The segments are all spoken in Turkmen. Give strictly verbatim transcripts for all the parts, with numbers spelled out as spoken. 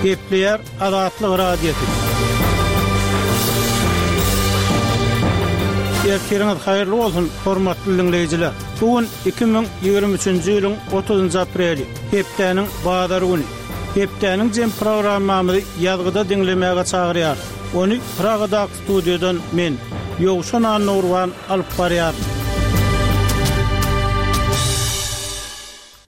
Gepleýär Azatlyk Radiosy. Ertiriňiz haýyrly bolsun, hormatly dinleýjiler. Bu gün iki müň ýigrimi üçünji ýylyň otuzynjy apreli, hepdäniň bazar güni. Hepdäniň jem programmamyzy ýazgyda diňlemäge çagyrýar. Ony Pragadaky studiýadan men, Ýowşan Annurwan alyp barýar.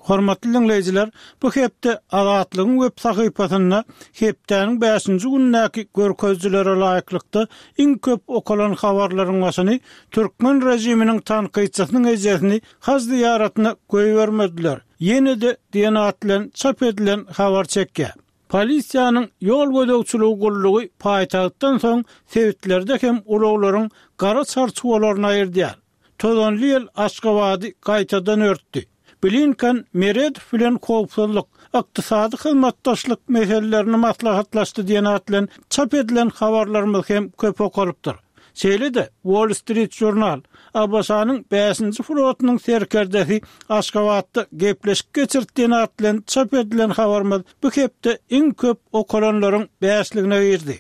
Hormatly dinleýjiler, bu hepde Azatlygyň web sahypasynda hepdäniň bäşinji günündäki görkezijilere laýyklykda iň köp okalan habarlaryň başyny türkmen rejiminiň tankytçysynyň ejesini haj zyýaratyna goýbermediler. Ýene-de diýen at bilen çap edilen habar çekýär. Polisiýanyň ýol gözegçiligi gullugy paýtagtdan soň sebitlerde hem ulaglaryň gara çarçuwalaryny aýyrdýar. Tozanly ýel Aşgabady gaýtadan örtdi. Blinken Meredow bilen howpsuzlyk, ykdysady hyzmatdaşlyk meselelerini maslahatlaşdy diýen at bilen çap edilen habarlarymyz hem köp okalypdyr. Şeýle-de Wall Street Journal, A B Ş-nyň bäşinji flotunyň serkerdesi Aşgabatda gepleşik geçirdi diýen at bilen çap edilen habarymyz bu hepde iň köp okalanlaryň bäşligine girdi.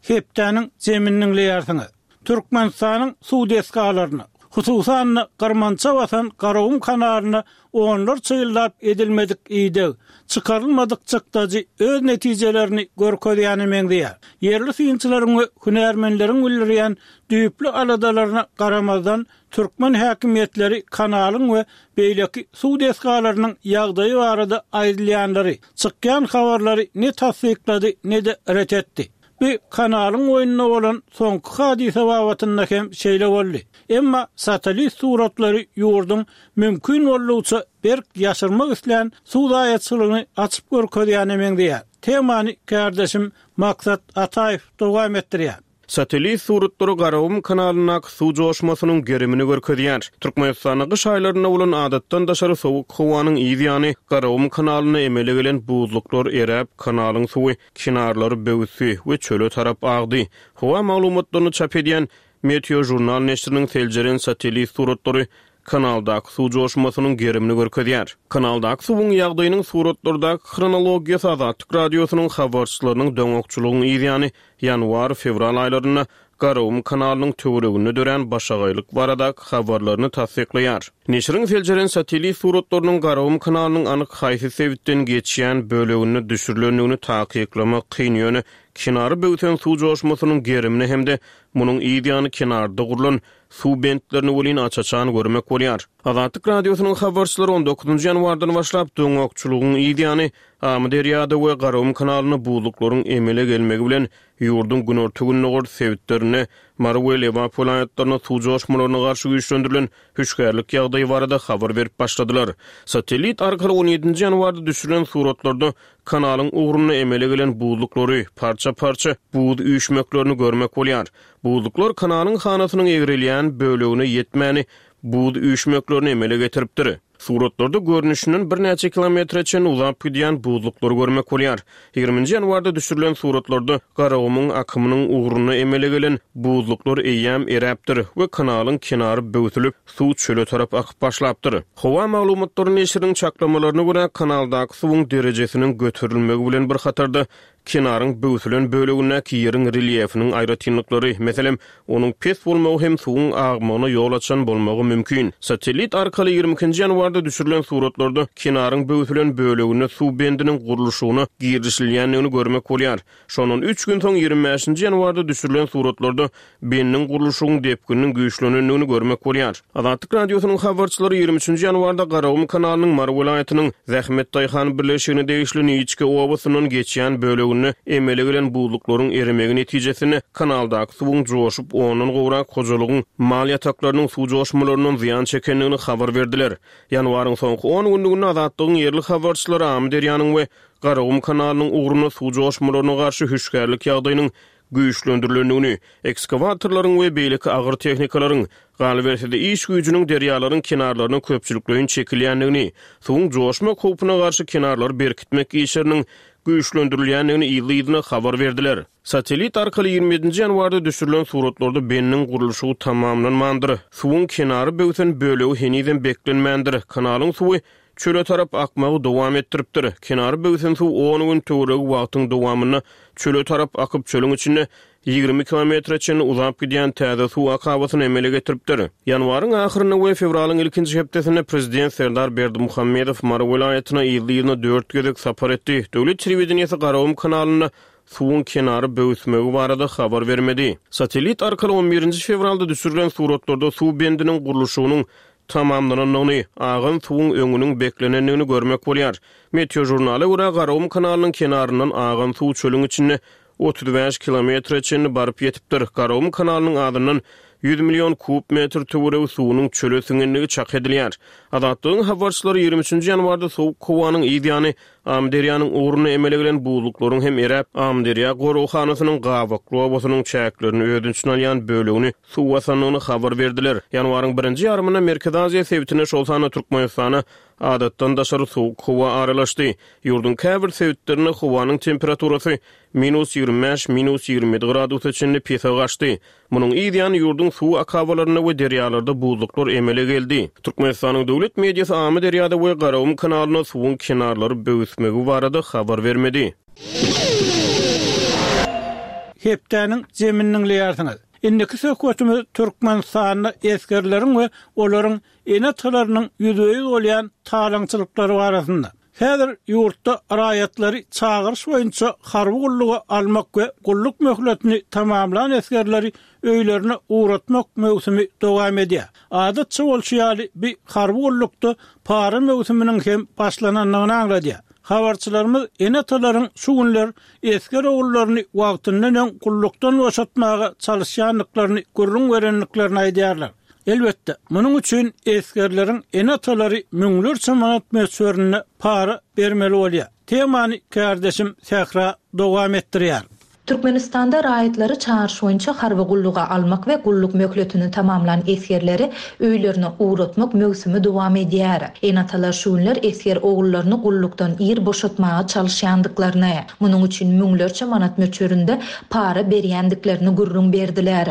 Hepdäniň zemini dinleýärsiňiz. Türkmenistanyň suw desgalaryna, hususan-da Gyrmança basan Garagum kanalyna onlarça ýyllap edilmedik ideg, çykarylmadyk çykdajy öz netijelerini görkezýäne meňzeýär. Ýerli synçylaryň we hünärmenleriň bildirýän düýpli aladalaryna garamazdan türkmen häkimiýetleri kanalyň we beýleki suw desgalarynyň ýagdaýy barada aýdylýanlary, çykýan habarlary ne tassyklady, ne-de ret etdi. Bu kanalyň oýnunda bolan soňky hadysa babatynda hem şeýle boldy. Emma satellit suratlary ýurduň mümkin boldugyça berk ýaşyrmak islän suw zaýaçylygyny açyp görkezýäne meňzeýär. Temany kardeşim Maksat Ataýew dowam etdirýär. Satellit suratlary Garagum kanalyndaky suw joşmasynyň gerimini görkezýär. Türkmenistanda gyş aýlarynda bolan adatdan daşary sowuk howanyň yz ýany Garagum kanalynda emele gelen buzluklar eräp, kanalyň suwy kenarlary böwüsdi we çöle tarap agdy. Howa maglumatlaryny çap edýän Meteo Journal neşiriniň seljeren satellit suratlary kanaldaky suw joşmasynyň gerimini görkezýär. Kanaldaky suwuň ýagdaýynyň suratlardaky hronologiýasy Azatlyk radiosynyň habarçylarynyň doňakçylygyň yz ýany ýanwar-fewral aýlarynda Garagum kanalynyň töwereginde dörän başagaýlyk baradaky habarlaryny tassyklaýar. Neşiriň seljeren satellit suratlarynyň Garagum kanalynyň anyk haýsy sebitden geçýän böleginde düşürilendigini takyklamak kyn, ýöne kenary böwsen suw joşmasynyň gerimini hem-de munuň yz ýany kenarda gurlan suw bentlerini welin aç-açan görmek bolýar. Azatlyk radiosynyň habarçylary on dokuzynjy ýanwardan başlap doňakçylygyň yz ýany Amyderýada we Garagum kanalynda buzluklaryň emele gelmegi bilen ýurduň günorta-gündogar sebitlerinde Mary we Lebap welaýatlarynda suw joşmalaryna garşy güýçlendirilen hüşgärlik ýagdaýy barada habar berip başladylar. Satellit arkaly on ýedinji ýanwarda düşürilen suratlarda kanalyň ugrunda emele gelen buzluklary, parça-parça buz üýşmeklerini görmek bolýar. Buzluklar kanalyň hanasynyň egrelýän bölegine ýetmäni buz üýşmeklerini emele getiripdir. Suratlarda görnüşinden birnäçe kilometre çenli uzap gidýän buzluklary görmek bolýar. Ýigriminji ýanwarda düşürilen suratlarda Garagumuň akymynyň ugrunda emele gelen buzluklar eýýäm eräpdir we kanalyň kenary böwsülip, suw çöle tarap akyp başlapdyr. Howa maglumatlary neşiriniň çaklamalaryna görä kanaldaky suwuň derejesiniň göterilmegi bilen bir hatarda kenaryň böwsülen bölegindäki ýeriň relýefiniň aýratynlyklary, meselem, onuň pes bolmagy hem suwuň agmagyna ýol açan bolmagy mümkin. Satellit arkaly ýigrimi ikinji ýanwarda düşürilen suratlarda kenaryň böwsülen böleginde suw bendiniň gurluşygyna girişilýändigini görmek bolýar. Şondan üç gün soň ýigrimi bäşinji ýanwarda düşürilen suratlarda bendiň gurluşygyň depgininiň güýçlenendigini görmek bolýar. Azatlyk radiosynyň habarçylary ýigrimi üçünji ýanwarda Garagum kanalynyň Mary welaýatynyň Zähmet Daýhan birleşigine degişli Niçke obasyndan geçýän böleginde emele gelen buzluklaryň erimegi netijesinde kanaldaky suwuň joşup ondan gowrak hojalygyň mal ýataklarynyň suw joşmalaryndan zyýan çekendigini habar berdiler. Ýanwaryň soňky on günlüginde Azatlygyň ýerli habarçylary Amyderýanyň we Garagum kanalynyň ugrunda suw joşmalaryna garşy hüşgärlik ýagdaýynyň güýçlendirilendigini, ekskavatorlaryň we beýleki agyr tehnikalaryň, galyberse-de iş güýjüniň derýalaryň kenarlaryna köpçülikleýin çekilýändigini, suwuň joşmak howpuna garşy kenarlary berkitmek işleriniň güýçlendirilýändigini ýyly-ýylyna habar berdiler. Satellit arkaly ýigrimi ýedinji ýanwarda düşürilen suratlarda bendiň gurluşygy tamamlanmandyr. Suwuň kenary böwsen bölegi henizem beklenmändir. Kanalyň suwy çöle tarap akmagy dowam etdiripdir. Kenary böwsen suw on gün töweregi wagtyň dowamynda çöle tarap akyp, çölüň içinde ýigrimi kilometre çenli uzap gidýän täze suw akabasyny emele getiripdir. Ýanwaryň ahyrynda we fewralyň ilkinji hepdesinde prezident Serdar Berdimuhamedow Mary welaýatyna ýyly-ýylyna dört gezek sapar etdi. Döwlet telewideniýesi Garagum kanalynda suwuň kenary böwüsmegi barada habar bermedi. Satellit arkaly on birinji fewralda düşürilen suratlarda suw bendiniň gurluşygynyň tamamlanandygyny, agan suwuň öňüniň beklenendigini görmek bolýar. Meteo jurnala görä Garagum kanalynyň kenaryndan agan suw çölüň içinde otuz bäş kilometre çenli baryp ýetipdir. Garagum kanalynyň adyndan ýüz million kub metr töweregi suwunyň çöle siňenligi çak edilýär. Azatlygyň habarçylary ýigrimi üçünji ýanwarda sowuk howanyň yz ýany Amyderýanyň ugruna emele gelen buzluklaryň hem eräp, Amyderýa goraghanasynyň Gabakly obasynyň çäklerini öz içine alýan bölegini suw basandygyny habar berdiler. Ýanwaryň birinji ýarymynda Merkezi Aziýa sebitine, şol sanda Türkmenistana adatdan daşary sowuk howa aralaşdy. Ýurduň käbir sebitlerinde howanyň temperaturasy minus ýigrimi bäş, minus ýigrimi ýedi gradusa çenli pese gaçdy. Munuň yz ýany ýurduň suw akabalarynda we derýalarda buzluklar emele geldi. Türkmenistanyň döwlet mediasy Amyderýada we Garagum kanalynda suwuň kenarlary böwüsmegi barada habar bermedi. Hepdäniň zeminiň leýärsiňiz. Indiki söhbetimiz Türkmenistanda esgerleriň we olaryň ene-atalarynyň ýüzbe-ýüz bolýan talaňçylyklary barasynda. Häzir ýurtda raýatlary çagyryş boýunça harby gulluga almak we gulluk möhletini tamamlan esgerleri öýlerine ugratmak möwsümi dowam edýär. Adatça bolşy ýaly bir harby gullukda para möwsüminiň hem başlanandygyny aňladýar. Habarçylarymyz ene-atalaryň şu günler esger ogullaryny wagtyndan öň gullukdan boşatmaga çalışýandyklaryny gürrüň berendiklerini aýdýarlar. Elbetde, munuň üçin esgerleriň ene-atalary müňlerçe manat möçberinde para bermeli bolýar. Temany kardeşim Sähra dowam etdirýär. Türkmenistanda raýatlary çagyryş boýunça harby gulluga almak we gulluk möhletini tamamlan esgerleri öýlerine ugratmak möwsümi dowam edýär. Ene-atalar şu günler esger ogullaryny gullukdan ir boşatmaga çalışýandyklaryny, munuň üçin müňlerçe manat möçberinde para berýändiklerini gürrüň berdiler.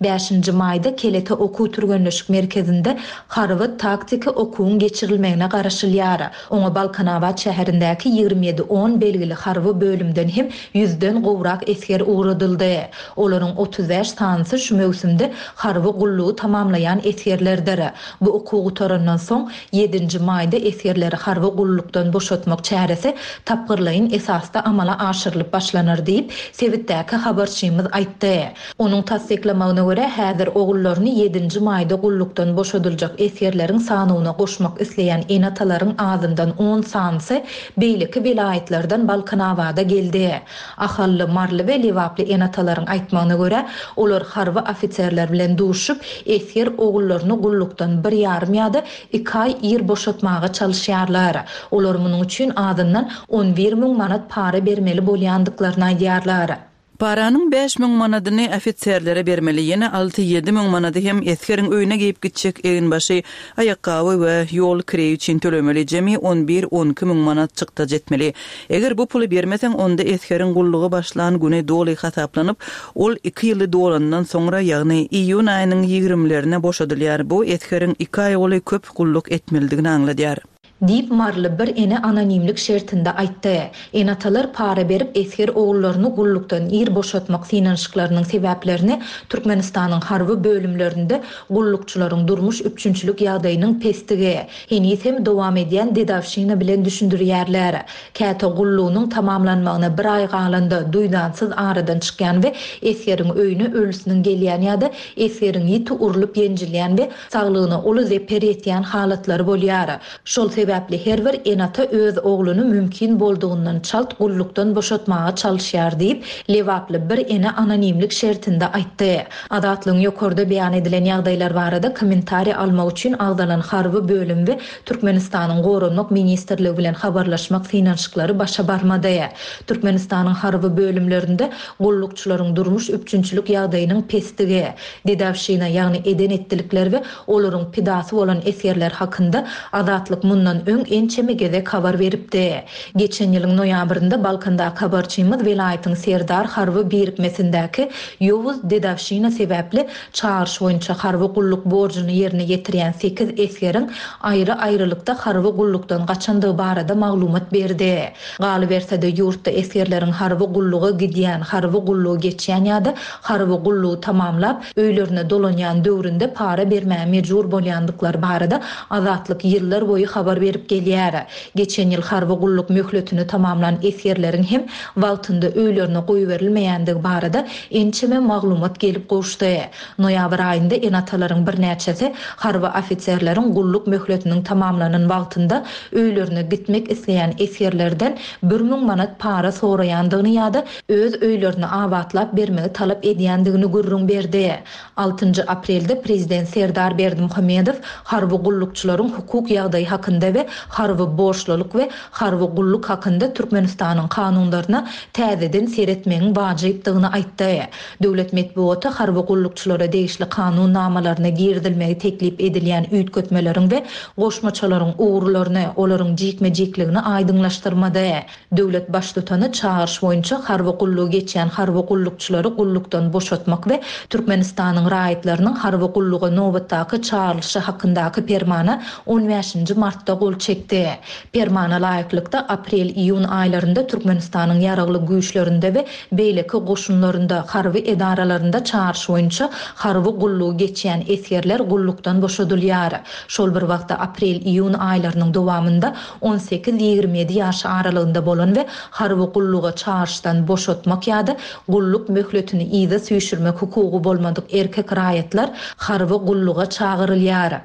Bäşinji maýda Kelete okuw türgenleşik merkezinde harby taktiki okuwyň geçirilmegine garaşylýar. Oňa Balkanabat şäherindäki ýigrimi ýedi on belgili harby bölümden hem ýüzden gowrak esger ugradyldy. Olaryň otuz bäş sanysy şu möwsümde harby gullugy tamamlaýan esgerlerdir. Bu okuw gutarandan soň ýedinji maýda esgerleri harby gullukdan boşatmak çäresi tapgyrlaýyn esasda amala aşyrylyp başlanar diýip, sebitdäki habarçymyz aýtdy. Onuň tassyklamagyna görä häzir ogullaryny ýedinji maýda gullukdan boşadyljak esgerleriň sanyna goşmak isleýän ene-atalaryň azyndan on sanysy beýleki welaýatlardan Balkanabada geldi. Ahally, Marly we Lebaply ene-atalaryň aýtmagyna görä, olar harby ofiserler bilen duşup, esger ogullaryny gullukdan bir ýarym ýa-da iki aý ir boşatmaga çalışýarlar. Olar munuň üçin azyndan on bir müň manat para bermeli bolýandyklaryny aýdýarlar. Paranyň bäş müň manadyny ofiserlere bermeli, ýene alty ýedi müň manady hem esgeriň öýüne geýip gitjek eginbaşy, aýakgaby we ýol kireýi üçin tölemeli, jemi on bir on iki müň manat çykda jetmeli. Eger bu puly bermeseň, onda esgeriň gullugy başlan güni doly hasaplanyp, ol iki ýyly dolandan soňra, ýagny iýun aýynyň ýigrimlerine boşadylýar. Bu esgeriň iki aý goly köp gulluk etmelidigini aňladýar. Diýip Marly bir ene anonimlik şertinde aýtdy. Ene-atalar para berip esger ogullaryny gullukdan ir boşatmak synanyşyklarynyň sebäplerini Türkmenistanyň harby bölümlerinde gullukçylaryň durmuş üpjünçilik ýagdaýynyň pestigi, heniz hem dowam edýän dedawşina bilen düşündirýärler. Käte gullugynyň tamamlanmagyna bir aý galanda duýdansyz aradan çykýan we esgeriň öýüne ölüsiniň gelýän ýa-da esgeriň ýiti urlup ýenjilýän we saglygyna uly zeper ýetýän halatlary bolýar. Şol sebäpli her bir ene-ata öz ogluny mümkin boldugyndan çalt gullukdan boşatmaga çalışýar diýip, Lebaply bir ene anonimlik şertinde aýtdy. Azatlygyň ýokarda beýan edilen ýagdaýlar barada kommentariý almak üçin agzalan harby bölüm we Türkmenistanyň Goranmak Ministrligi bilen habarlaşmak synanyşyklary başa barmady. Türkmenistanyň harby bölümlerinde gullukçylaryň durmuş üpjünçilik ýagdaýynyň pestigi, dedawşina, ýagny eden etdilikler we olaryň pidasy bolan esgerler hakynda Azatlyk mundan mundan öň ençeme gezek habar beripdi. Geçen ýylyň noýabrynda Balkandaky habarçymyz welaýatyň Serdar harby birikmesindäki ýowuz dedowşina sebäpli çagyryş boýunça harby gulluk borjuny ýerine ýetirýän sekiz esgeriň aýry-aýrylykda harby gullukdan gaçandygy barada maglumat berdi. Galyberse-de, ýurtda esgerleriň harby gulluga gidýän, harby gullugy geçýän ýa-da harby gullugy tamamlap, öýlerine dolanýan döwründe para bermäge mejbur bolýandyklary barada Azatlyk ýyllar boýy habar berip gelýär. Geçen ýyl harby gulluk möhletini tamamlan esgerleriň hem wagtynda öýlerine goýberilmeýändigi barada ençeme maglumat gelip gowuşdy. Noýabr aýynda ene-atalaryň birnäçesi harby ofiserleriň gulluk möhletiniň tamamlanan wagtynda öýlerine gitmek isleýän esgerlerden bir müň manat para soraýandygyny ýa-da öz öýlerini abatlap bermegi talap edýändigini gürrüň berdi. Altynjy aprelde prezident Serdar Berdimuhamedow harby gullukçylaryň hukuk ýagdaýy hakynda we harby borçlulyk we harby gulluk hakynda Türkmenistanyň kanunlaryna täzeden seretmegiň wajypdygyny aýtdy. Döwlet metbugaty harby gullukçylara degişli kanun namalaryna girizilmegi teklip edilýän üýtgetmeleriň we goşmaçalaryň ugurlaryny, olaryň jikme-jikligini aýdyňlaşdyrmady. Döwlet Baştutany çagyryş boýunça harby gullugy geçýän harby gullukçylary gullukdan boşatmak we Türkmenistanyň raýatlarynyň harby gulluga nobatdaky çagyrylyşy hakyndaky Permana on bäşinji martda gol çekdi. Permana laýyklykda, aprel-iýun aýlarynda Türkmenistanyň Ýaragly Güýçlerinde we beýleki goşunlarynda, harby edaralarynda çagyryş boýunça harby gullugy geçýän esgerler gullukdan boşadylýar. Şol bir wagtda aprel-iýun aýlarynyň dowamynda on sekiz-ýigrimi ýedi ýaş aralygynda bolan we harby gulluga çagyryşdan boşatmak ýa-da gulluk möhletini yza süýşürmek hukugy bolmadyk erkek raýatlar harby gulluga çagyrylýar.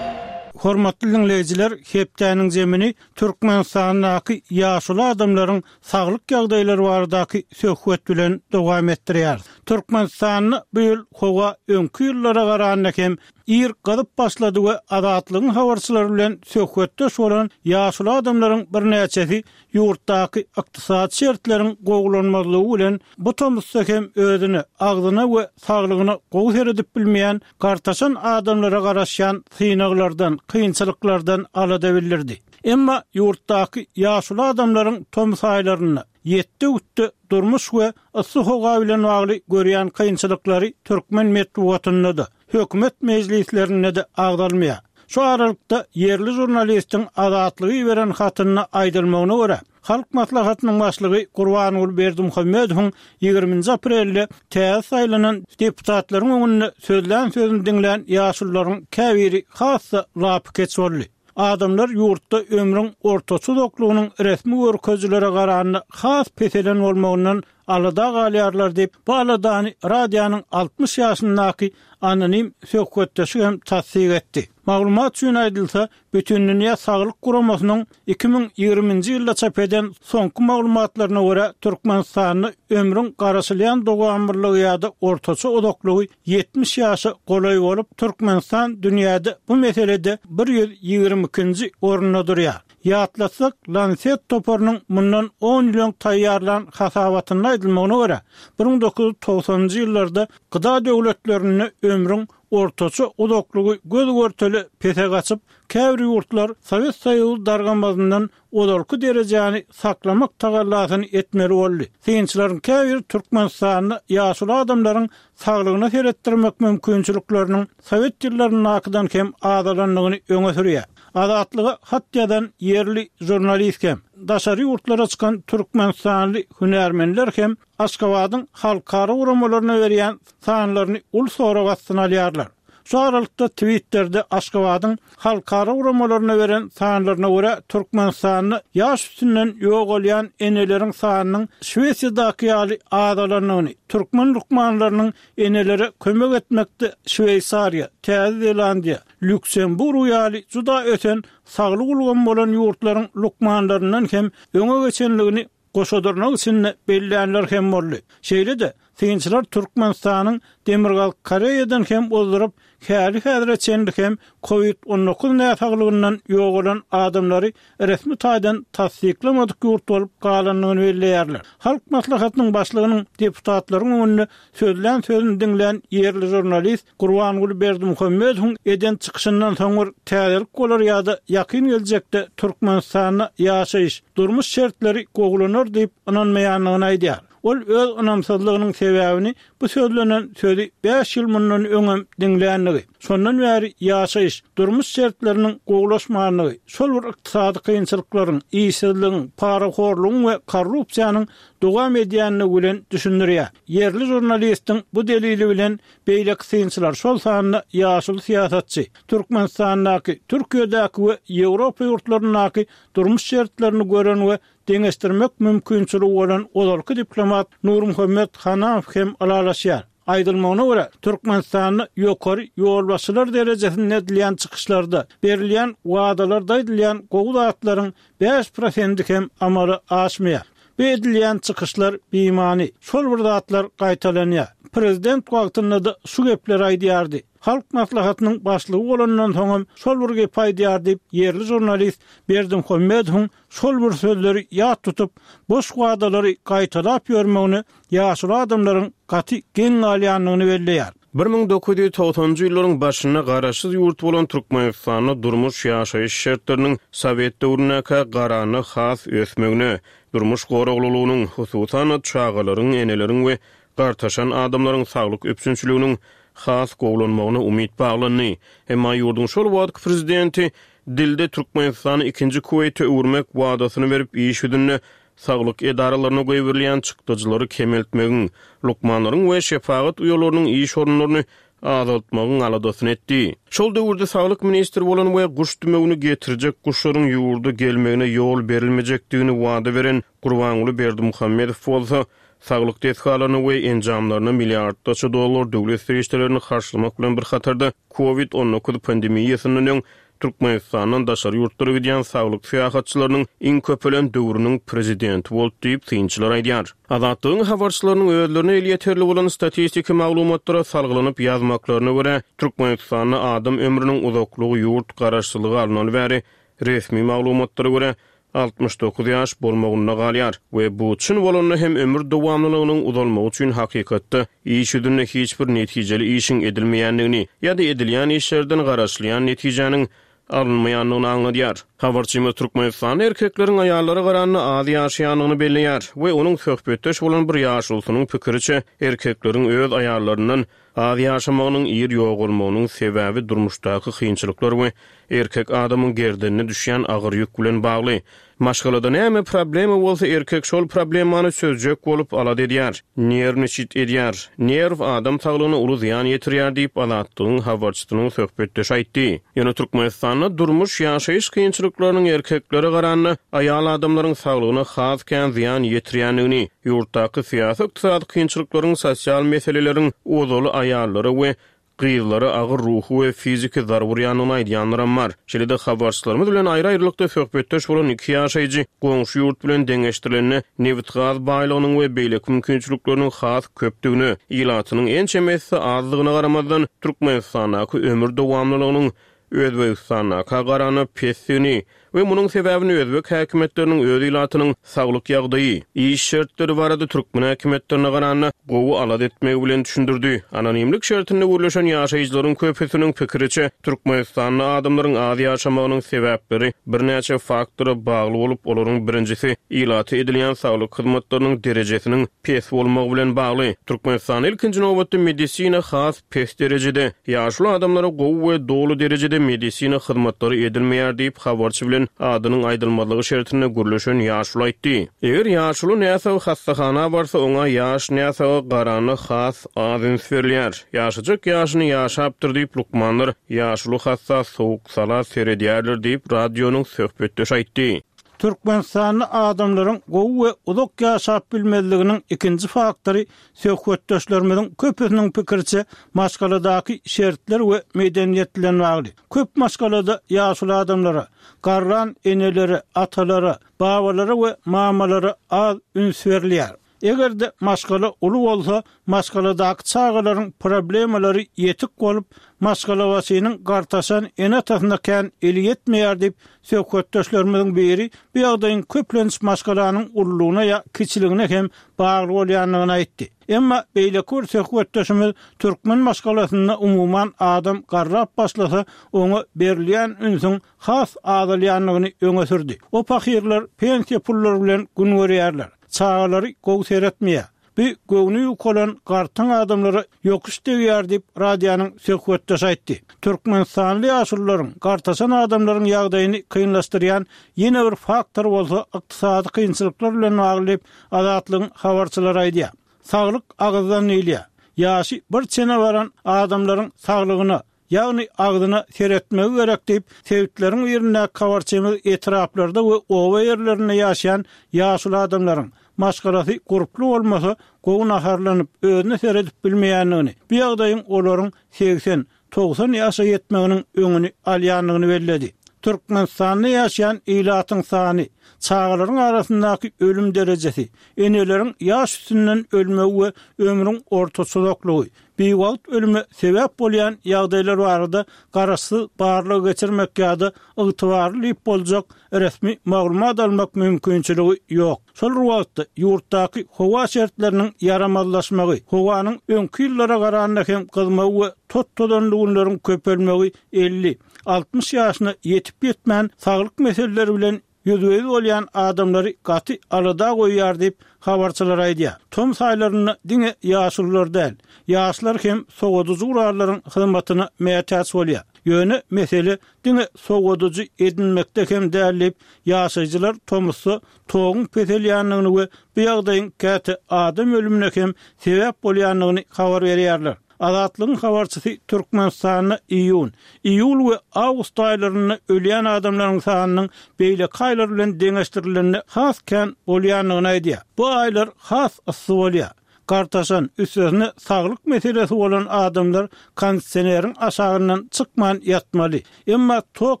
Hormatly diňleýjiler, hepdäniň zemini Türkmenistandaky ýaşuly adamlaryň saglyk ýagdaýlary baradaky söhbet bilen dowam etdirýär. Türkmenistanda bu ýyl howa öňki ýyllara garanda hem ir gyzyp başlady we Azatlygyň habarçylary bilen söhbetdeş bolan ýaşuly adamlaryň birnäçesi ýurtdaky ykdysady şertleriň gowulanmazlygy bilen bu tomusda hem özüne, agzyna we saglygyna gowy seredip bilmeýän gartaşan adamlara garaşýan synaglardan, kynçylyklardan alada bildirdi. Emma ýurtdaky ýaşuly adamlaryň tomus aýlarynda ýetde-gütde durmuş we yssy howa bilen bagly görýän kynçylyklary türkmen metbugatynda-da, hökümet mejlislerinde-de agzalmaýar. Şu aralykda ýerli žurnalistiň Azatlygy beren hatynda aýdylmagyna görä, Halk Maslahatynyň başlygy Gurbanguly Berdimuhamedowyň ýigriminji aprelde täze saýlanan deputatlaryň öňünde sözlän sözüni diňlän ýaşulularyň käbiri has-da lapykeç boldy. Adamlar ýurtda ömrüň ortaça uzaklygynyň resmi görkezijilere garanda has peselen bolmagyndan alada galýarlar diýip, bu aladany radionyň altmyş ýaşyndaky anonim söhbetdeşi hem tassyk etdi. Maglumat üçin aýdylsa, Bütindünýä Saglyk Guramasynyň iki müň ýigriminji ýylda çap eden soňky maglumatlaryna görä, Türkmenistanda ömrüň garaşylýan dowamlylygy ýa-da ortaça uzaklygy ýetmiş ýaşa golaý bolup, Türkmenistan dünýäde bu meselede bir ýüz ýigrimi ikinji orunda durýar. Ýatlatsak, Lancet toparynyň mundan on ýyl öň taýýarlan hasabatynda aýdylmagyna görä, bir müň dokuz ýüz togsanynjy ýyllarda gda döwletlerinde ömrüň ortaça uzaklygy göz-görtele pese gaçyp, käbir ýurtlar Sowet Soýuzy dargamazyndan ozalky derejäni saklamak tagallasyny etmeli boldy. Synçylaryň käbiri Türkmenistanda ýaşuly adamlaryň saglygyna seretdirmek mümkinçilikleriniň sowet ýyllaryndakydan hem azalandygyny öňe sürýär. Azatlyga hat ýazan ýerli žurnalist hem, daşary ýurtlara çykan türkmenistanly hünärmenler hem Aşgabadyň halkara guramalaryna berýän sanlaryny uly sorag astyna alýarlar. Şu aralykda Twitterде Aşgabadyň halkara guramalaryna beren sanlaryna görä Türkmenistanda ýaş üstünden ýogalýan eneleriň sanynyň Şwesiýadaky ýaly azalandygyny, türkmen lukmanlarynyň enelere kömek etmekde Şweýsariýa, Täze Zelandiýa, Lýuksemburg ýaly juda ösen saglyk ulgamy bolan ýurtlaryň lukmanlaryndan hem öňe geçenligini goşadyrnak içinde bellänler hem boldy. Şeýle-de Synçylar Türkmenistanyň Demirgazyk Koreýadan hem ozduryp, häli-häzire çenli hem Covid on dokuz näsaglygyndan ýogalan adamlary resmi taýdan tassyklamadyk ýurt bolup galandygyny belleýärler. Halk Maslahatynyň başlygynyň deputatlaryň öňünde sözlän sözüni diňlän ýerli žurnalist Gurbanguly Berdimuhamedowyň eden çykyşyndan soň bir täzelik bolar ýa-da ýakyn geljekde Türkmenistanda ýaşaýyş, durmuş şertleri gowulanar diýip ynanmaýandygyny aýdýar. Ol öz ynamsyzlygynyň sebäbini bu sözlenen sözi bäş ýyl mundan öňem diňlänligi, şondan bäri ýaşaýyş, durmuş şertleriniň gowulaşmanlygy, şol bir ykdysady kynçylyklaryň, işsizligiň, parahorlugyň we korrupsiýanyň dowam edýänligi bilen düşündirýär. Ýerli žurnalistiň bu delili bilen beýleki synçylar, şol sanda ýaşuly syýasatçy, Türkmenistandaky, Türkiýedäki we Ýewropa ýurtlaryndaky durmuş şertlerini gören we deňeşdirmek mümkinçiligi bolan ozalky diplomat Nurmuhammet Hanamow hem ylalaşýar. Aýdylmagyna görä, Türkmenistanda ýokary ýolbaşçylar derejesinde edilýän çykyşlarda berilýän wadalarda aýdylýan gowy zatlaryň bäş prosenti hem amala aşmaýar. Bu edilýän çykyşlar bimany, şol bir zatlar gaýtalanýar. Prezident wagtynda da şu gepleri aýdýardy. Halk Maslahatynyň başlygy bolandan soňam şol bir gep aýdýar diýip, ýerli žurnalist Berdimuhamedowyň şol bir sözleri ýat tutup, boş wadalary gaýtalap ýörmegini ýaşuly adamlaryň gaty geň galýandygyny belleýär. Bir müň dokuz ýüz togsanjy ýyllaryň başynda garaşsyz ýurt bolan Türkmenistanda durmuş ýaşaýyş şertleriniň Sowet döwründäki garanda has ösmegine, durmuş goraglylygynyň, hususan çagalaryň, eneleriň we gartaşan adamlaryň saglyk üpjünçiliginiň has gowulanmagyna umyt baglandy. Emma ýurduň şol wagtky prezidenti dilde Türkmenistany ikinji Kuweýte öwürmek wadasyny berip, iş ýüzünde saglyk edaralaryna goýberilýän çykdajylary kemeltmegiň, lukmanlaryň we şefagat uýalarynyň iş orunlaryny azaltmagyň aladasyny etdi. Şol döwürde saglyk ministri bolan we guş dümewini getirjek guşlaryň ýurda gelmegine ýol berilmejekdigini wada beren Gurbanguly Berdimuhamedow bolsa, saglyk desgalaryny we enjamlaryny milliardlarça dollar döwlet serişdelerini harçlamak bilen bir hatarda Covid on dokuz pandemiýasyndan öň Türkmenistandan daşary ýurtlara gidýän saglyk syýahatçylarynyň iň köpelen döwrüniň prezidenti boldy diýip synçylar aýdýar. Azatlygyň habarçylarynyň özlerine elýeterli bolan statistiki maglumatlara salgylanyp ýazmaklaryna görä, Türkmenistanda adam ömrüniň uzaklygy ýurt garaşsyzlygy alynany bäri resmi maglumatlara görä altmyş dokuz ýaş bolmagynda galýar we bu çyn bolanda hem ömür dowamlylygynyň uzalmagy üçin hakykatda iş ýüzünde hiç bir netijeli işiň edilmeýändigini ýa-da edilýän işlerden garaşylýan netijäniň alynmaýandygyny aňladýar. Habarçymyz Türkmenistanda erkekleriň aýallara garanda az ýaşaýandygyny belleýär we onuň söhbetdeş bolan bir ýaşulusynyň pikiriçe erkekleriň öz aýallaryndan az ýaşamagynyň ir ýogalmagynyň sebäbi durmuşdaky kynçylyklar we erkek adamyň gerdenine düşýän agyr ýük bilen bagly. Maşgalada näme problema bolsa erkek şol problemany çözjek bolup alad edýär, nerwniçit edýär. Nerw adam saglygyna uly zyýan ýetirýär diýip Azatlygyň habarçysynyň söhbetdeşi aýtdy. Ýöne Türkmenistanda durmuş ýaşaýyş kynçylyklarynyň erkeklere garanda aýal adamlaryň saglygyna has kän zyýan ýetirýändigini, ýurtdaky syýasy ykdysady kynçylyklaryň, sosial meseleleriň ozaly aýallara we gyzlara agyr ruhy we fiziki zarba urýandygyny aýdýanlaram bar. Şeýle-de habarçylarymyz bilen aýry-aýrylykda söhbetdeş bolan iki ýaşaýjy goňşy ýurt bilen deňeşdirilende nebit-gaz baýlygynyň we beýleki mümkinçilikleriniň has köpdügine, ilatynyň ençemesi azdygyna garamazdan Türkmenistandaky ömür dowamlylygynyň Özbegistandaka garanda pesdigini we munuň sebäbini özbek häkimiýetleriniň öz ilatynyň saglyk ýagdaýy, iş şertleri barada türkmen häkimiýetlerine garanda gowy alad etmegi bilen düşündirdi. Anonimlik şertinde gürleşen ýaşaýjylaryň köpüsiniň pikiriçe Türkmenistanda adamlaryň az ýaşamagynyň sebäpleri birnäçe faktora bagly bolup, olaryň birinjisi ilaty edilýän saglyk hyzmatlarynyň derejesiniň pes bolmagy bilen bagly. Türkmenistanda ilkinji nobatda medisina has pes derejede, ýaşuly adamlara gowy we doly derejede medisina hyzmatlary edilmeýär diýip habarçy bilen adynyň aýdylmazlygy şertinde gürleşen ýaşuly aýtdy. Eger ýaşuly näsag hassahana barsa, oňa ýaş näsaga garanda has az üns berilýär. Ýaşajak ýaşyny ýaşapdyr diýip lukmanlar ýaşuly hassa sowuk sala seredýärler diýip radionyň söhbetdeşi aýtdy. Türkmenistanda adamlaryň gowy we uzak ýaşap bilmezliginiň ikinji faktory söhbetdeşlerimiziň köpüsiniň pikiriçe maşgaladaky şertler we medeniýet bilen bagly. Köp maşgalada ýaşuly adamlara, garran enelere, atalara, babalara we mamalara az üns berilýär. Eger-de maşgala uly bolsa, maşgaladaky çagalaryň problemalary ýetik bolup, maşgalabaşynyň gartaşan ene-atasyna kän eli ýetmeýär diýip, söhbetdeşlerimiziň biri bu ýagdaýyň köplenç maşgalanyň ululygyna ýa kiçiligine hem bagly bolýandygyny aýtdy. Emma beýleki bir söhbetdeşimiz türkmen maşgalasynda umuman adam garrap başlasa, oňa berilýän ünsüň has azalýandygyny öňe sürdi. O pahyrlar pensiýa pullary bilen gün görýärler. Çagalary gowy seretmeýär. Bu göwni ýukalan gartaň adamlara ýokuş degýär diýip, radionyň söhbetdeşi aýtdy. Türkmenistanly ýaşulularyň, gartaşan adamlaryň ýagdaýyny kynlaşdyrýan ýene bir faktor bolsa ykdysady kynçylyklar bilen bagly diýip, Azatlygyň habarçylary aýdýar. Saglyk agyzdan diýilýär. Ýaşy bir çene baran adamlaryň saglygyna, ýagny agzyna seretmegi gerek diýip, sebitleriň birindäki habarçymyz etraplarda we oba ýerlerinde ýaşaýan ýaşuly adamlaryň, maşgalasy gurply bolmasa, gowy naharlanyp, özüne seredip bilmeýändigini, bu ýagdaýyň olaryň segsen, togsan ýaşa ýetmeginiň öňüni alýandygyny belledi. Türkmenistanda ýaşaýan ilatyň sany, çagalaryň arasyndaky ölüm derejesi, eneleriň ýaş üstünden ölmegi we ömrüň ortaça uzaklygy, biwagt ölüme sebäp bolýan ýagdaýlar barada garaşsyz barlag geçirmek ýa-da ygtybarly diýip boljak resmi maglumat almak mümkinçiligi ýok. Şol bir wagtda, ýurtdaky howa şertleriniň ýaramazlaşmagy, howanyň öňki ýyllara garanda hem gyzmagy we tot-tozanly günleriň köpelmegi elli, altmyş ýaşyna ýetip-ýetmän saglyk meseleleri bilen ýüzbe-ýüz bolýan adamlary gaty alada goýýar diýip, habarçylar aýdýar. Tomus aýlarynda diňe ýaşulular däl, ýaşlar hem sowadyjy gurallaryň hyzmatyna mätäç bolýar. Ýöne mesele diňe sowadyjy edinmekde hem däl diýip, ýaşaýjylar tomusda toguň peselýändigini we bu ýagdaýyň käte adam ölümine hem sebäp bolýandygyny habar berýärler. Azatlygyň habarçysy Türkmenistanda iýun, iýul we awgust aýlarynda ölýän adamlaryň sanynyň beýleki aýlar bilen deňeşdirilende has kän bolýandygyny aýdýar. Bu aýlar has yssy bolýar. Gartaşan, üstesine saglyk meselesi bolan adamlar kondisioneriň aşagyndan çykman ýatmaly. Emma tok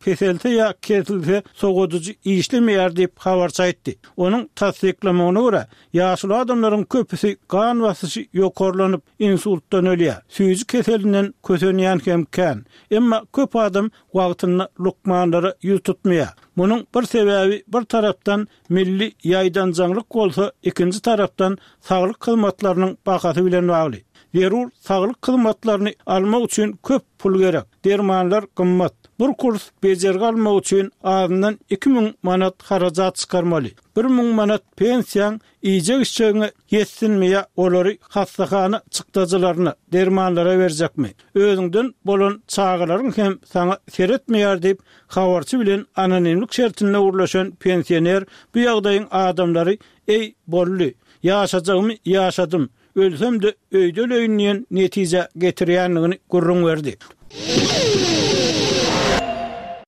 peselse ýa kesilse sowadyjy işlemeýär diýip, habarçy aýtdy. Onuň tassyklamagyna görä, ýaşuly adamlaryň köpüsi gan basyşy ýokarlanyp, insultdan ölýär. Süýji keselinden kösenýän hem kän. Emma köp adam wagtynda lukmanlara ýüz tutmaýar. Munuň bir sebäbi bir tarapdan milli ýaýdanjaňlyk bolsa, ikinji tarapdan saglyk hyzmatlarynyň bahasy bilen bagly. Zerur saglyk hyzmatlaryny almak üçin köp pul gerek. Dermanlar gymmat. Bir kurs bejergi almak üçin azyndan iki müň manat harajat çykarmaly. Bir müň manat pensiýaň iýjek-içjegiňe ýetsinmi ýa olary hassahana çykdajylaryna, dermanlara berjekmi? Özüňden bolan çagalaryň hem saňa seretmeýär diýip, habarçy bilen anonimlik şertinde gürleşen pensioner bu ýagdaýyň adamlary Eý, boldy, ýaşajagymy ýaşadym, ölsem-de öýde öleýin diýen netijä getirýändigini gürrüň berdi.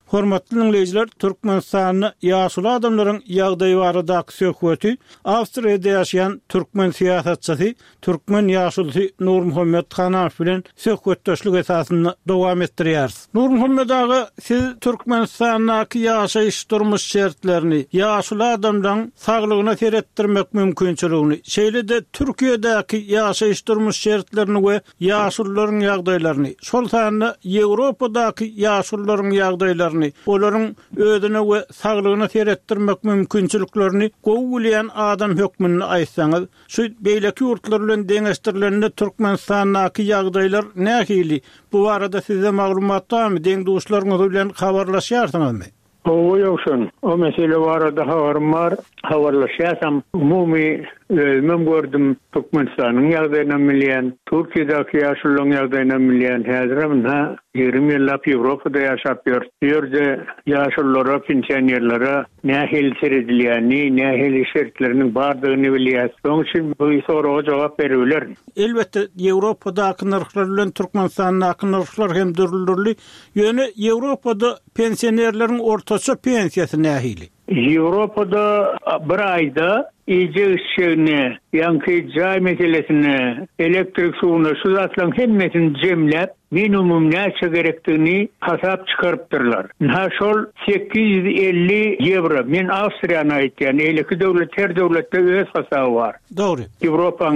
Hormatly diňleýjiler, Türkmenistanda ýaşuly adamlaryň ýagdaýy baradaky söhbeti Awstriýada ýaşaýan türkmen syýasatçysy, türkmen ýaşulusy Nurmuhammet Hanamow bilen söhbetdeşlik esasynda dowam etdirýäris. Nurmuhammet aga, siz Türkmenistandaky ýaşaýyş-durmuş şertlerini, ýaşuly adamlaryň saglygyna seretdirmek mümkinçiligini, şeýle-de Türkiýedäki ýaşaýyş-durmuş şertlerini we ýaşulularyň ýagdaýlaryny, şol sanda Ýewropadaky ýaşulularyň ýagdaýlaryny, olaryň özüne we saglygyna seretdirmek mümkinçiliklerini gowy bilýän adam hökmünde aýtsaňyz, şu beýleki ýurtlar bilen deňeşdirilende Türkmenistandaky ýagdaýlar nähili? Bu barada sizde maglumat barmy, deň-duşlaryňyz bilen habarlaşýarsyňyzmy? Hawa, Ýowşan, o mesele barada habarym bar, habarlaşýasam. Umumy özümem gördüm, Türkmenistanyň ýagdaýynam bilýän, Türkiýedäki ýaşulularyň ýagdaýynam bilýän. Häzirem ynha, ýigrimi ýyllap Ýewropada ýaşap ýörüs. Bu ýerde ýaşululara, pensionerlere nähili seredilýänini, nähili şertleriniň bardygyny bilýäs. Şonuň üçin bu soraga jogap beribilerin. Elbetde, Ýewropadaky nyrhlar bilen Türkmenistandaky nyrhlar hem dürli-dürli. Ýöne Ýewropada pensionerleriň ortaça pensiýasy nähili? Ýewropada bir aýda iýjek-içjegine, Ýaňky jaý meselesine, elektrik suwuna şu zatlaryň hemmesini jemläp, minimum näçe gerekdigini hasap çykarypdyrlar. Ynha şol sekiz ýüz elli ýewro, men Awstriýany aýtýan, eýleki döwlet her döwletde öz hasaby bar. Dogry. Ýewropaň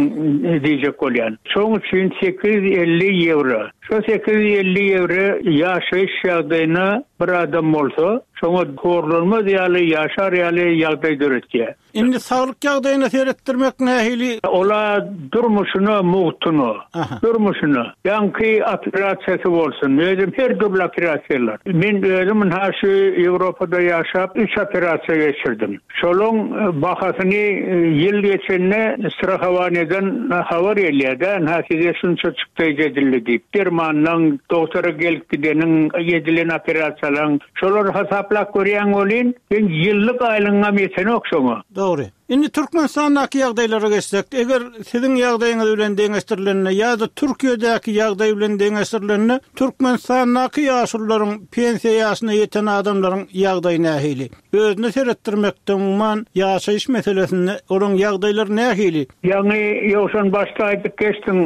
diýjek bolýan. Şoň üçin sekiz ýüz elli ýewro. Şo sekiz ýüz elli ýewro ýaşaýyş ýagdaýyna bir adam bolsa, şoňa horlanmaz ýaly, ýaşar ýaly ýagdaý döretýär. Indi saglyk ýagdaýyna seretdirmek nähili? Ola durmuşyna mugtuna, durmuşyna. Ýaňky operasiýasy bolsun, özüm her dürli operasiýalar. Men özüm ynha şu Ýewropada ýaşap üç operasiýa geçirdim. Şolaň bahasyny ýyl geçende strahowaniýadan habar gelýär-de, ynha size şunça çykdaýjy edildi diýip. Dermanlaň, doktora gelip gideniň, edilen operasiýalaň, şolary hasaplap görýän bolýan, sen ýyllyk aýlygyňam ýetenok şoňa. Dogry. Indi Türkmenistandaky ýagdaýlara geçsek, eger siziň ýagdaýyňyz bilen deňeşdirilende ýa-da Türkiýedäki ýagdaý bilen deňeşdirilende, Türkmenistandaky ýaşulularyň pensiýa ýaşyna ýeten adamlaryň ýagdaýy nähili? Özüne seretdirmekde umuman ýaşaýyş meselesinde olaryň ýagdaýlary nähili? Ýagny ýowşan başda aýdyp geçdiň,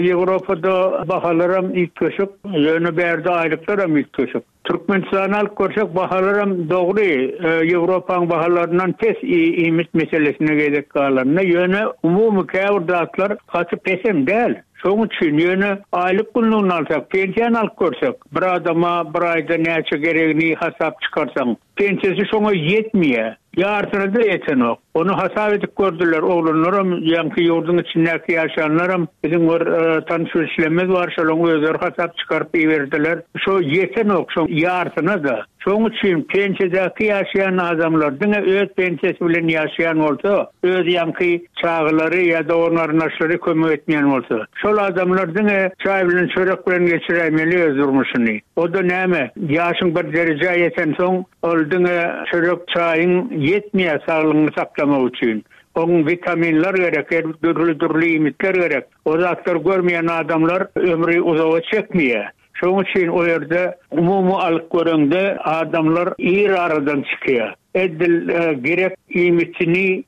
Ýewropada bahalaram üýtgeşik, ýöne bärde aýlyklaram üýtgeşik. Türkmenistany alyp görsek bahalaram dogry, Ýewropaň bahalaryndan pes iýmit meselesine gezek galanda, ýöne umumy käbir zatlar gaty pesem däl. Şoň üçin ýöne aýlyk günlügini alsak, pensiýany alyp görsek, bir adama bir aýda näçe geregini hasap çykarsaň, pensiýasy şoňa ýetmeýär. Ýarsyna da ýetenok. Ony hasap edip gördüler, oglanlaram, ýaňky ýurduň içindäki ýaşanlaram, biziň bir tanyş bilişlerimiz bar, şolaryň özleri hasap çykaryp iberdiler. Şo ýetenok, şo ýarsyna da. Şoň üçin pensiýadaky ýaşaýan adamlar diňe öz pensiýasy bilen ýaşaýan bolsa, öz ýaňky çagalary ýa dogan-garyndaşlary kömek etmeýän bolsa, şol adamlar diňe çaý bilen çörek bilen geçiräýmeli öz durmuşyny. O da näme? Ýaşyň bir derejä ýetensoň, ol diňe çörek çaýyň ýetmeýär saglygyny saklamak üçin. Oň vitaminler gerek, her dürli-dürli iýmitler gerek. O zatlar görmeýän adamlar ömri uzaga çekmeýär. Şoň üçin o ýerde umumy alyp göreňde adamlar ir aradan çykýar. Edil gerek iýmitini,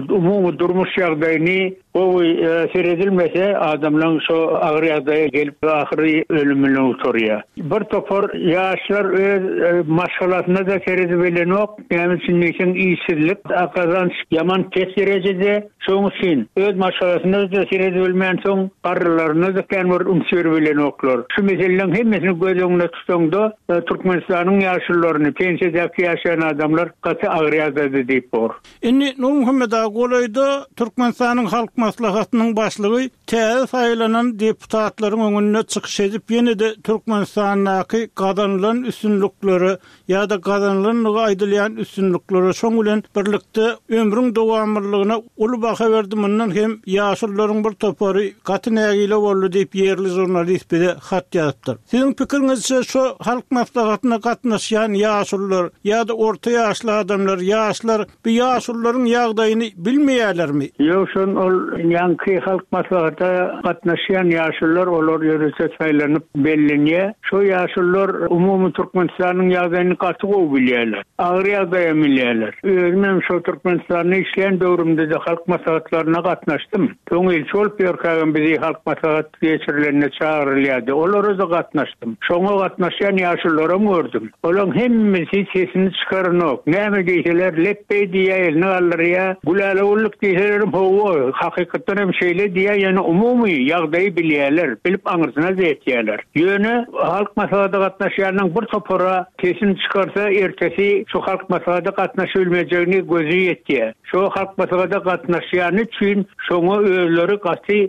umumy durmuş ýagdaýyny gowy seredilmese, adamlaryň şo agyr ýagdaýa gelip ahyry ölümine uçraýar. Bir topar ýaşlar öz maşgalasyna da seredip bilenok, näme üçin diýseň işsizlik, gazanç ýaman pes derejede, şoň üçin öz maşgalasyna da seredip bilmänsoň, garrylaryna da kän bir üns berip bilenoklar. Şu meseleleriň hemmesini göz öňünde tutanda, Türkmenistanyň ýaşlylaryny, pensiýadaky ýaşaýan adamlar gaty agyr ýagdaýda diýip bor. Indi Nurmuhammet aga golaýda Türkmenistanyň Halk Maslahatynyň başlygy täze saýlanan deputatlaryň öňünde çykyş edip, ýene-de Türkmenistandaky gazanylan üstünliklere ýa-da gazanylanlygy aýdylýan üstünliklere şoň bilen birlikde ömrüň dowamlylygyna uly baha berdi. Mundan hem ýaşlylaryň bir topary gaty nägile boldy diýip ýerli žurnalist bize hat ýazypdyr. Siziň pikiriňizçe şu Halk Maslahatyna gatnaşýan ýaşlylar ýa-da orta ýaşly adamlar, ýaşlar bu ýaşlylaryň ýagdaýyny bilmeýärlermi? Ýok, şon ol ýaňky Halk Maslahata gatnaşýan ýaşlylar olar ýörite saýlanyp bellenýär. Şo ýaşlylar umumy Türkmenistanyň ýagdaýyny gaty gowy bilýärler. Agyr ýagdaýa bilýärler. Özüm hem şo Türkmenistanda işleýän döwrümde de Halk Maslahatlaryna gatnaşdym. Soň ilçi bolup ýörkägem bizi Halk Maslahat geçirilenine çagyrylýardy. Olara da gatnaşdym. Şoňa gatnaşýan ýaşlylaram gördüm. Olaryň hemmesi sesini çykaranok. Näme diýseler, lepbeý diýýär, elini galdyrýar. Güläle gulluk diýseler, hawa, hakykatdan hem şeýle diýýär, ýöne umumy ýagdaýy bilýärler, bilip aňyrsyna ýetýärler. Ýöne Halk Maslahata gatnaşýanyň bir topara sesini çykarsa, ertesi şu Halk Maslahata gatnaşybilmejegini gözi ýetýär. Şu Halk Maslahata gatnaşýany üçin şoňa özleri gaty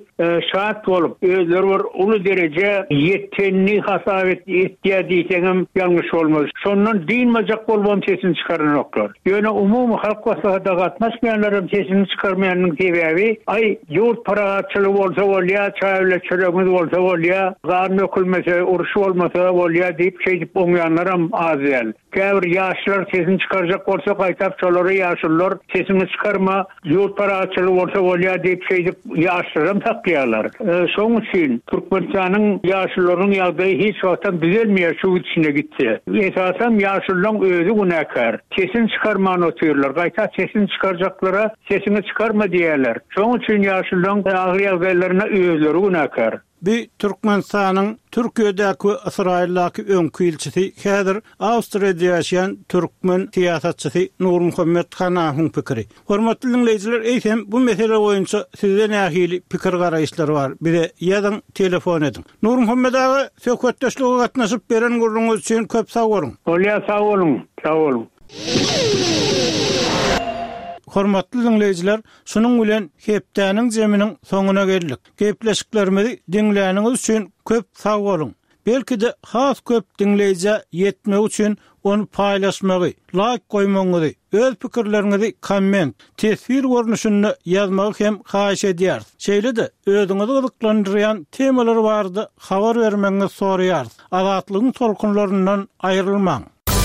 şat bolup, özleri bir uly dereje ýetenini hasap etýär diýseňem ýalňyş bolmaz. Şondan dinmejek bolubam sesini çykaranoklar. Ýöne umumy Halk Maslahata gatnaşmaýanlaryň sesini çykarmaýanyň sebäbi, aý ýurt parahatçylygy bolsa bolýar, çaý bilen çöregimiz bolsa bolýar, gan dökülmese, uruş bolmasa bolýar diýip şeýdip oňýanlaram az däl. Käbir ýaşlar sesini çykarjak bolsa, gaýtap şolary ýaşlylar sesini çykarma, ýurt parahatçylygy bolsa bolýar diýip şeýdip ýaşlaram saklaýarlar. Şoň üçin Türkmenistanyň ýaşlylarynyň ýagdaýy hiç wagtam düzelmeýär şu içine gitse. Esasan ýaşlylaryň özi günäkär. Sesini Sesini çykarman otyrlar. Gaýta sesini çykarjaklara sesiňi çykarma diýýärler. Şonuň üçin ýaşulularyň agyr ýagdaýlaryna özleri günäkär. Bi Türkmenistanyň Türkiýedäki we Ysraýyldaky öňki ilçisi, häzir Awstriýada ýaşaýan türkmen syýasatçysy Nurmuhammet Hanawyň pikiri. Hormatly diňleýjiler, eýsem bu mesele boýunça sizde nähili pikir-garaýyşlar bar? Bize ýazyň, telefon ediň. Nurmuhammet aga, söhbetdeşlige gatnaşyp beren gürrüňiňiz üçin köp sag boluň. Bolýar, sag boluň, sag boluň. Hormatly diňleýjiler, şunuň bilen hepdäniň jeminiň soňuna geldik. Gepleşiklerimizi diňläniňiz üçin köp sag boluň. Belki-de has köp diňleýjä ýetmegi üçin ony paýlaşmagy, laýk goýmagyňyzy, öz pikirleriňizi komment, teswir görnüşinde ýazmagy hem haýyş edýäris. Şeýle-de özüňizi gyzyklandyrýan temalar barada habar bermegiňizi soraýarys. Azatlygyň tolkunlaryndan aýrylmaň.